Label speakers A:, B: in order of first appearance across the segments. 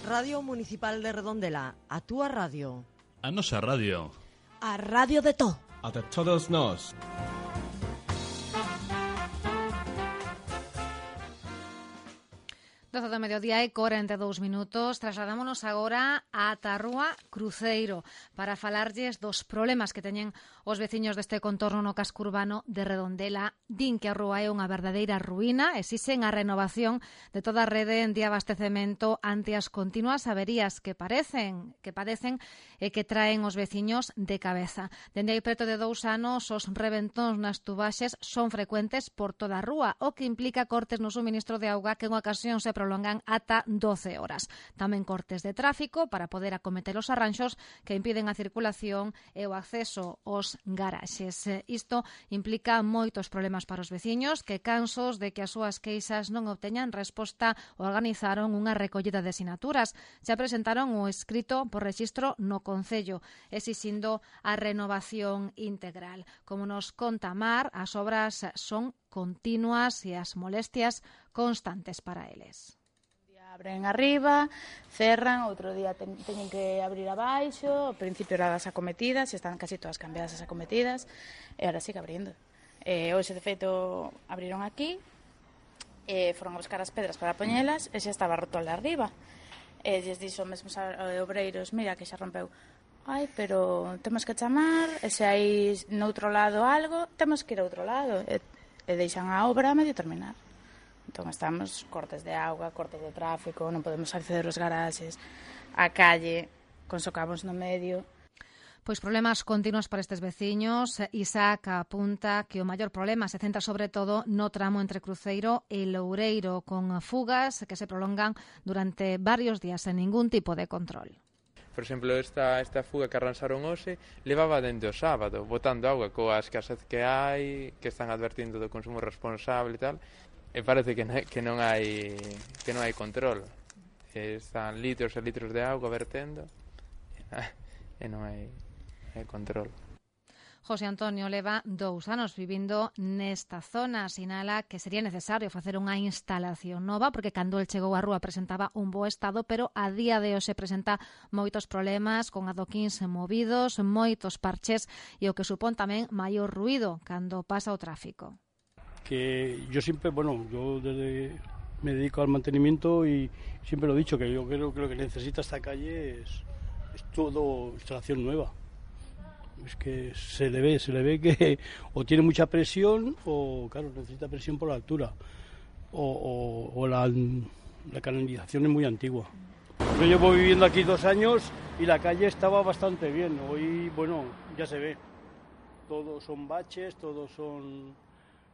A: Radio Municipal de Redondela, a túa radio.
B: A nosa radio.
A: A radio de todo.
C: A de todos nós.
D: 12 do mediodía e 42 minutos. Trasladámonos agora ata a Rúa Cruceiro para falarlles dos problemas que teñen os veciños deste contorno no casco urbano de Redondela. Din que a rúa é unha verdadeira ruína, exixen a renovación de toda a rede de abastecemento ante as continuas averías que padecen e que traen os veciños de cabeza. Dende hai preto de 2 anos, os reventóns nas tubaxes son frecuentes por toda a rúa, o que implica cortes no suministro de auga que en ocasión se prolongan ata 12 horas. Tamén cortes de tráfico para poder acometer os arranxos que impiden a circulación e o acceso aos garaxes. Isto implica moitos problemas para os veciños que, cansos de que as súas queixas non obteñan resposta, organizaron unha recollida de sinaturas. Xa presentaron o escrito por rexistro no Concello, exixindo a renovación integral. Como nos conta Mar, as obras son continuas e as molestias constantes para eles.
E: Un día abren arriba, cerran, outro día teñen que abrir abaixo, ao principio eran as acometidas, están casi todas cambiadas as acometidas, e ahora sigue abrindo. Hoxe, de feito, abriron aquí, foron a buscar as pedras para poñelas, e xa estaba roto de arriba. E lles dixo mesmo obreiros, mira que xa rompeu. Ai, pero temos que chamar, e se hai noutro lado algo, temos que ir a outro lado. E deixan a obra a medio terminar. Entón estamos cortes de auga, cortes de tráfico, non podemos acceder aos garaxes, a calle, con socavos no medio.
D: Pois problemas continuos para estes veciños. Isaac apunta que o maior problema se centra sobre todo no tramo entre Cruceiro e Loureiro, con fugas que se prolongan durante varios días sen ningún tipo de control.
F: Por exemplo, esta fuga que arranxaron hoxe levaba dende o sábado, botando auga coa escasez que hai, que están advertindo do consumo responsable e tal, e parece que non hai control. Están litros e litros de auga vertendo e non hai control.
D: José Antonio leva 2 anos vivindo nesta zona. Sinala que sería necesario facer unha instalación nova porque cando el chegou á rúa presentaba un bo estado, pero a día de hoxe presenta moitos problemas con adoquíns movidos, moitos parches e o que supón tamén maior ruído cando pasa o tráfico.
G: Que yo siempre, yo desde me dedico al mantenimiento y siempre lo he dicho, que yo creo que lo que necesita esta calle es todo instalación nueva. Es que se le ve que o tiene mucha presión o, claro, necesita presión por la altura o la canalización es muy antigua. Yo llevo viviendo aquí 2 años y la calle estaba bastante bien. Hoy, ya se ve. Todos son baches,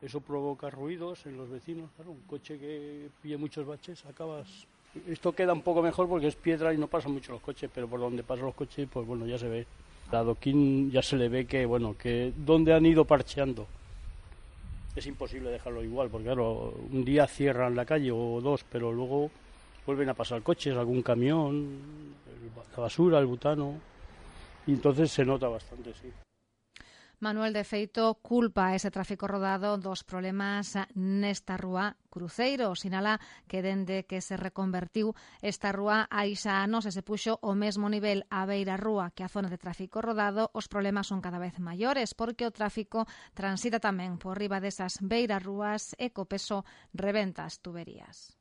G: eso provoca ruidos en los vecinos. Claro, un coche que pille muchos baches, acabas... Esto queda un poco mejor porque es piedra y no pasan mucho los coches, pero por donde pasan los coches, pues ya se ve. El adoquín ya se le ve que donde han ido parcheando. Es imposible dejarlo igual, porque claro, un día cierran la calle o 2, pero luego vuelven a pasar coches, algún camión, la basura, el butano, y entonces se nota bastante, sí.
D: Manuel, de feito, culpa ese tráfico rodado dos problemas nesta rúa Cruceiro. Sinala que dende que se reconvertiu esta rúa hai xa anos e se puxo o mesmo nivel a beira rúa que a zona de tráfico rodado, os problemas son cada vez maiores porque o tráfico transita tamén por riba desas beiras rúas e co peso rebenta as tuberías.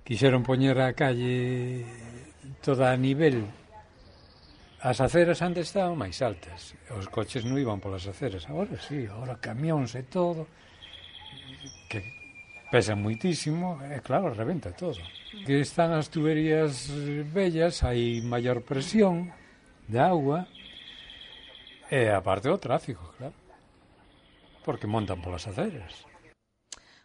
H: Quixeron poñer a calle toda a nivel. As aceras antes estaban máis altas, os coches non iban polas aceras, agora sí, agora camións e todo, que pesan moitísimo, e claro, rebenta todo. Que están as tuberías vellas, hai maior presión de auga, e aparte o tráfico, claro, porque montan polas aceras.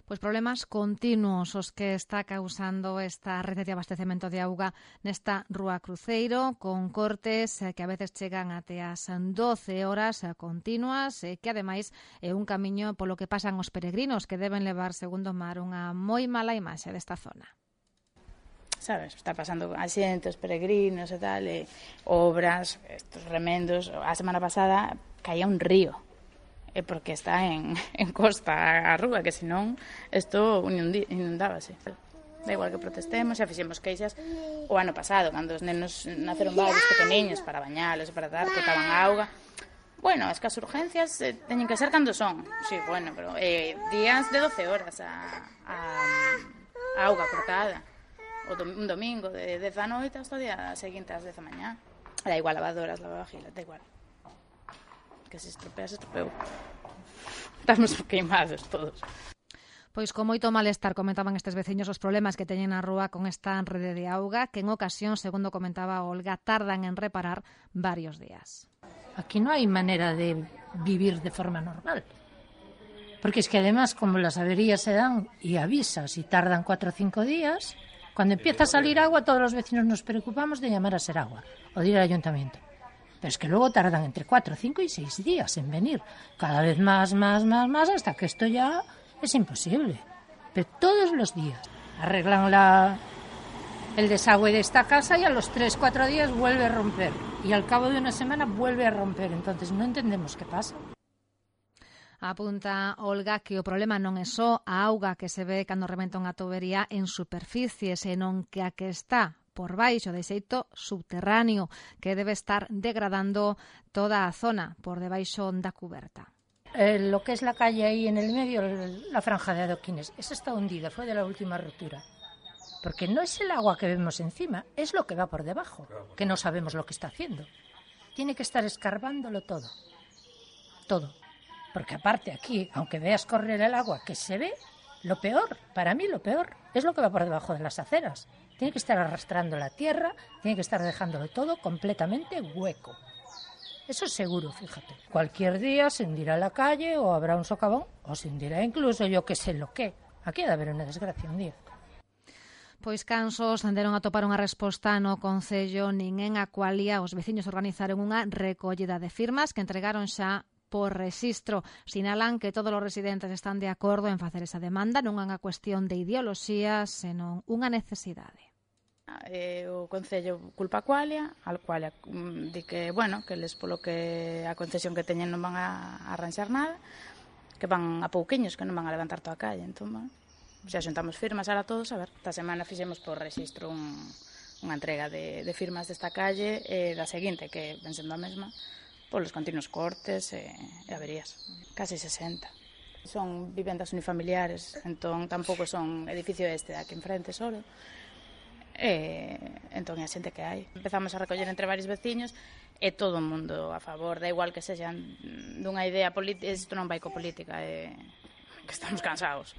D: Pois problemas continuos os que está causando esta rede de abastecemento de auga nesta rúa Cruceiro, con cortes que a veces chegan até as 12 horas continuas, que ademais é un camiño polo que pasan os peregrinos que deben levar, segundo Mar, unha moi mala imaxe desta zona.
E: Sabes, está pasando a xente, os peregrinos e tal, obras, estos remendos. A semana pasada caía un río é porque está en costa a rúa, que senón isto inundábase. Da igual que protestemos, xa fixemos queixas o ano pasado, cando os nenos naceron varios pequeniños para bañalos e para dar, botaban auga. Bueno, es que as urgencias teñen que ser cando son. Sí, bueno, pero días de 12 horas a auga cortada. Un domingo de 10 da noite hasta o día seguinte ás 10 da mañá. Da igual lavadoras, lavavajillas, da igual. Que se estropea, se estropeou. Estamos queimados todos.
D: Pois con moito malestar comentaban estes veciños os problemas que teñen na rúa con esta rede de auga que en ocasión, segundo comentaba Olga, tardan en reparar varios días.
B: Aquí no hay manera de vivir de forma normal. Porque es que además, como las averías se dan y avisas y tardan 4 o 5 días, cuando empieza a salir agua, todos los vecinos nos preocupamos de llamar a Seragua o de ir al ayuntamiento. Pero es que luego tardan entre 4, 5 y 6 días en venir. Cada vez más, hasta que esto ya es imposible. Pero todos los días arreglan el desagüe de esta casa y a los 3, 4 días vuelve a romper. Y al cabo de una semana vuelve a romper. Entonces no entendemos qué pasa.
D: Apunta Olga que o problema non é só a auga que se ve cando rebenta unha tubería en superficie, senón que a que está por baixo de xeito subterráneo, que debe estar degradando toda a zona por debaixo da cuberta.
B: Lo que es la calle ahí en el medio, la franja de adoquines, esa está hundida, fue de la última rotura. Porque no es el agua que vemos encima, es lo que va por debajo, que no sabemos lo que está haciendo. Tiene que estar escarbándolo todo. Todo. Porque aparte aquí, aunque veas correr el agua que se ve, lo peor, para mí lo peor, es lo que va por debajo de las aceras. Tiene que estar arrastrando la tierra, tiene que estar dejándolo todo completamente hueco. Eso es seguro, fíjate. Cualquier día se hundirá la calle o habrá un socavón o se hundirá incluso yo que sé lo que. Aquí ha de haber una desgracia un día.
D: Pois cansos andaron a topar unha resposta no Concello nin en Aqualia. Os veciños organizaron unha recollida de firmas que entregaron xa por rexistro. Sinalan que todos os residentes están de acordo en facer esa demanda, non é unha cuestión de ideoloxía, senón unha necesidade.
E: O Concello culpa a Aqualia di que, bueno, que les polo que a concesión que teñen non van a arranxar nada, que van a pouquiños, que non van a levantar toda a calle. Entón, bueno, xa xuntamos firmas ahora todos, a ver, esta semana fixemos por rexistro unha entrega de firmas desta calle e da seguinte, que ven sendo a mesma, polos continuos cortes e averías. Casi 60. Son vivendas unifamiliares, entón tampouco son edificio de aquí enfrente solo. Entón é a xente que hai. Empezamos a recoller entre varios veciños e todo o mundo a favor, da igual que sexan dunha idea política, isto non vai co política, que estamos cansados.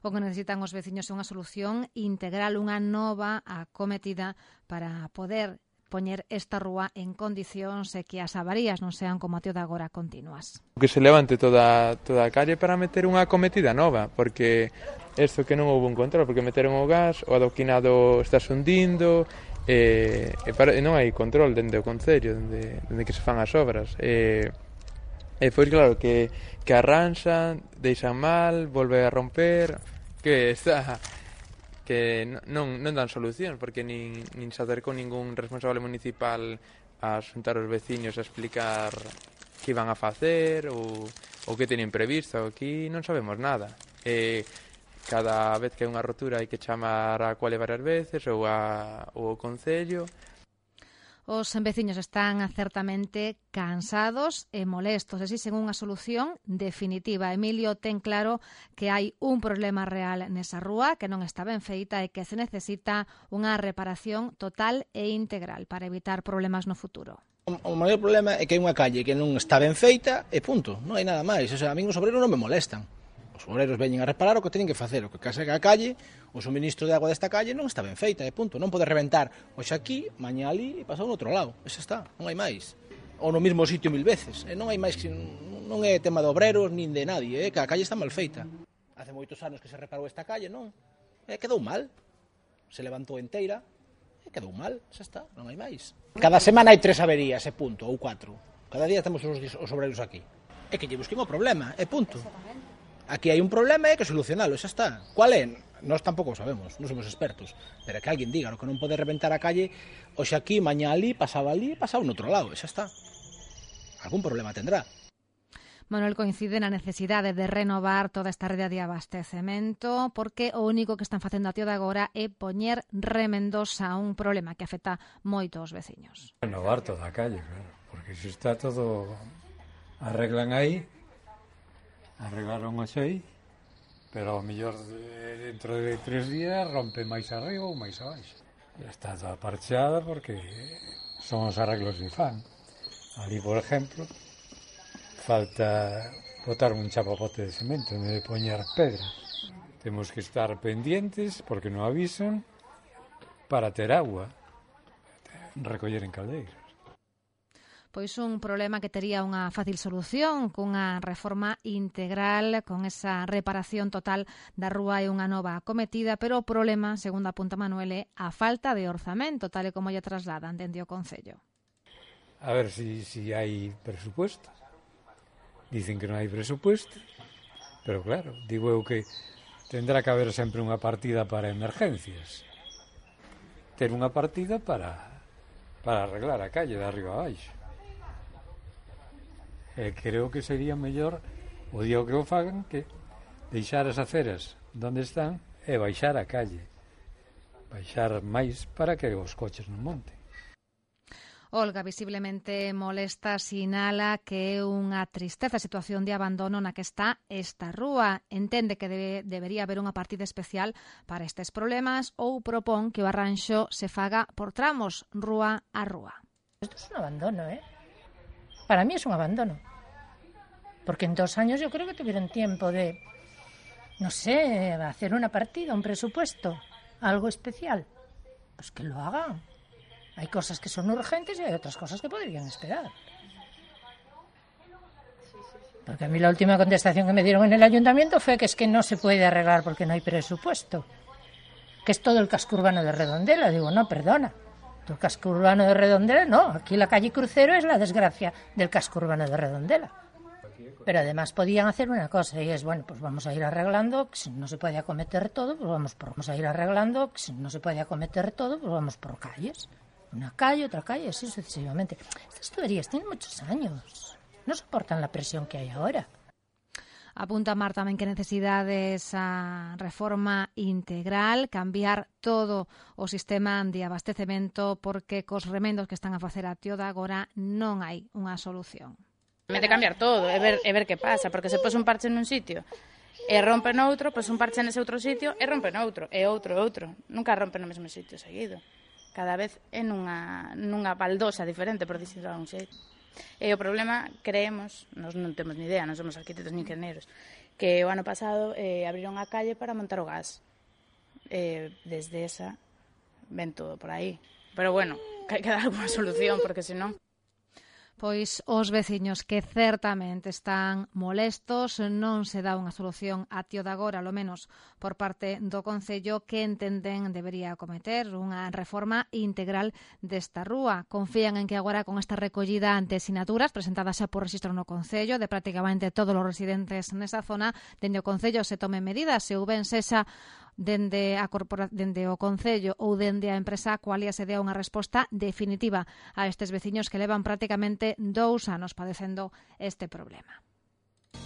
D: O que necesitan os veciños é unha solución integral, unha nova acometida para poder poñer esta rúa en condicións e que as avarías non sean como a tío de agora continuas.
F: Que se levante toda a calle para meter unha acometida nova, porque isto que non houve un control, porque meteron o gas, o adoquinado está hundindo, e non hai control dende o Concello, dende que se fan as obras. E foi claro que arranxan, deixan mal, volve a romper, que non dan solución, porque nin se acercou ningún responsable municipal a xuntar os veciños a explicar que iban a facer ou que tenían previsto. Aquí non sabemos nada. Cada vez que hai unha rotura hai que chamar a Aqualia varias veces ou ao Concello.
D: Os veciños están certamente cansados e molestos, exixen unha solución definitiva. Emilio ten claro que hai un problema real nesa rúa, que non está ben feita e que se necesita unha reparación total e integral para evitar problemas no futuro.
C: O maior problema é que hai unha calle que non está ben feita e punto, non hai nada máis. O sea, a min os obreros non me molestan. Os obreros veñen a reparar o que teñen que facer, o que casa que a calle, o suministro de agua desta calle non está ben feita, e punto. Non pode reventar hoxe aquí, mañá ali e pasar no outro lado. Esa está, non hai máis. Ou no mesmo sitio 1000 veces. Non hai máis, non é tema de obreros nin de nadie, que a calle está mal feita. Hace moitos anos que se reparou esta calle, non? Quedou mal. Se levantou enteira, quedou mal, xa está, non hai máis. Cada semana hai 3 averías, e punto, ou 4. Cada día temos os obreros aquí. É que lle busquen o problema, e punto. Aquí hai un problema e hai que solucionalo, xa está. Cual é? Nós tampouco o sabemos, non somos expertos, pero que alguén diga, o que non pode reventar a calle hoxe aquí, mañá ali, pasaba no outro lado, xa está. Algún problema tendrá.
D: Manuel coincide na necesidade de renovar toda esta rede de abastecemento porque o único que están facendo a tío de agora é poñer remendos a un problema que afecta moito aos veciños.
H: Renovar toda a calle, claro, porque se está todo... Arreglan aí, arreglaron hoxe aí, pero ao mellor dentro de 3 días rompe máis arriba ou máis abaixo. Está toda parcheada porque son os arreglos que fan. Ali, por exemplo, falta botar un chapapote de cemento en vez de poñer pedras. Temos que estar pendientes porque non avisan para ter agua, recoller en caldeiras.
D: Pois un problema que tería unha fácil solución cunha reforma integral, con esa reparación total da rúa e unha nova acometida, pero o problema, segundo apunta Manuel, é a falta de orzamento, tal e como lle trasladan dende o Concello.
H: A ver si hai presupuesto. Dicen que non hai presupuesto, pero claro, digo eu que tendrá que haber sempre unha partida para emergencias. Ter unha partida para arreglar a calle de arriba a baixo. Creo que sería mellor o día que o fagan que deixar as aceras onde están e baixar a calle. Baixar máis para que os coches non monten.
D: Olga, visiblemente molesta, sinala que é unha tristeza a situación de abandono na que está esta rúa. Entende que debería haber unha partida especial para estes problemas ou propón que o arranxo se faga por tramos, rúa a rúa.
B: Esto es un abandono, ¿eh? Para mí es un abandono. Porque en 2 años yo creo que tuvieron tiempo de, no sé, hacer una partida, un presupuesto, algo especial. Pues que lo hagan. Hay cosas que son urgentes y hay otras cosas que podrían esperar. Porque a mí la última contestación que me dieron en el ayuntamiento fue que es que no se puede arreglar porque no hay presupuesto. Que es todo el casco urbano de Redondela. Digo, no, perdona. El casco urbano de Redondela, no. Aquí la calle Crucero es la desgracia del casco urbano de Redondela. Pero además podían hacer una cosa y es, bueno, pues vamos a ir arreglando, que si no se puede acometer todo, pues vamos a ir arreglando, que si no se puede acometer todo, pues vamos por calles. Una calle, otra calle, así sucesivamente. Estas tuberías tienen muchos años. No soportan la presión que hay ahora.
D: Apunta Mar tamén que necesidades a reforma integral, cambiar todo o sistema de abastecemento porque cos remendos que están a facer a tío de agora non hai unha solución.
E: Mete cambiar todo e ver que pasa, porque se pos un parche nun sitio e rompe noutro, pois un parche nese outro sitio e rompe noutro, e outro. Nunca rompe no mesmo sitio seguido. Cada vez é nunha baldosa diferente, por dicirlo de un xeito. E o problema, creemos, nós non temos ni idea, non somos arquitectos ni ingenieros, que o ano pasado abriron a calle para montar o gas. Desde esa ven todo por aí. Pero bueno, que hai que dar alguna solución, porque senón...
D: Pois os veciños que certamente están molestos, non se dá unha solución a tío de agora, lo menos por parte do Concello, que entenden debería acometer unha reforma integral desta rúa. Confían en que agora con esta recollida ante sinaturas presentadas xa por rexistro no Concello de prácticamente todos os residentes nesa zona, dende o Concello se tomen medidas, se ou ben sexa dende o Concello ou dende a empresa Qualia se dea unha resposta definitiva a estes veciños que levan prácticamente 2 anos padecendo este problema.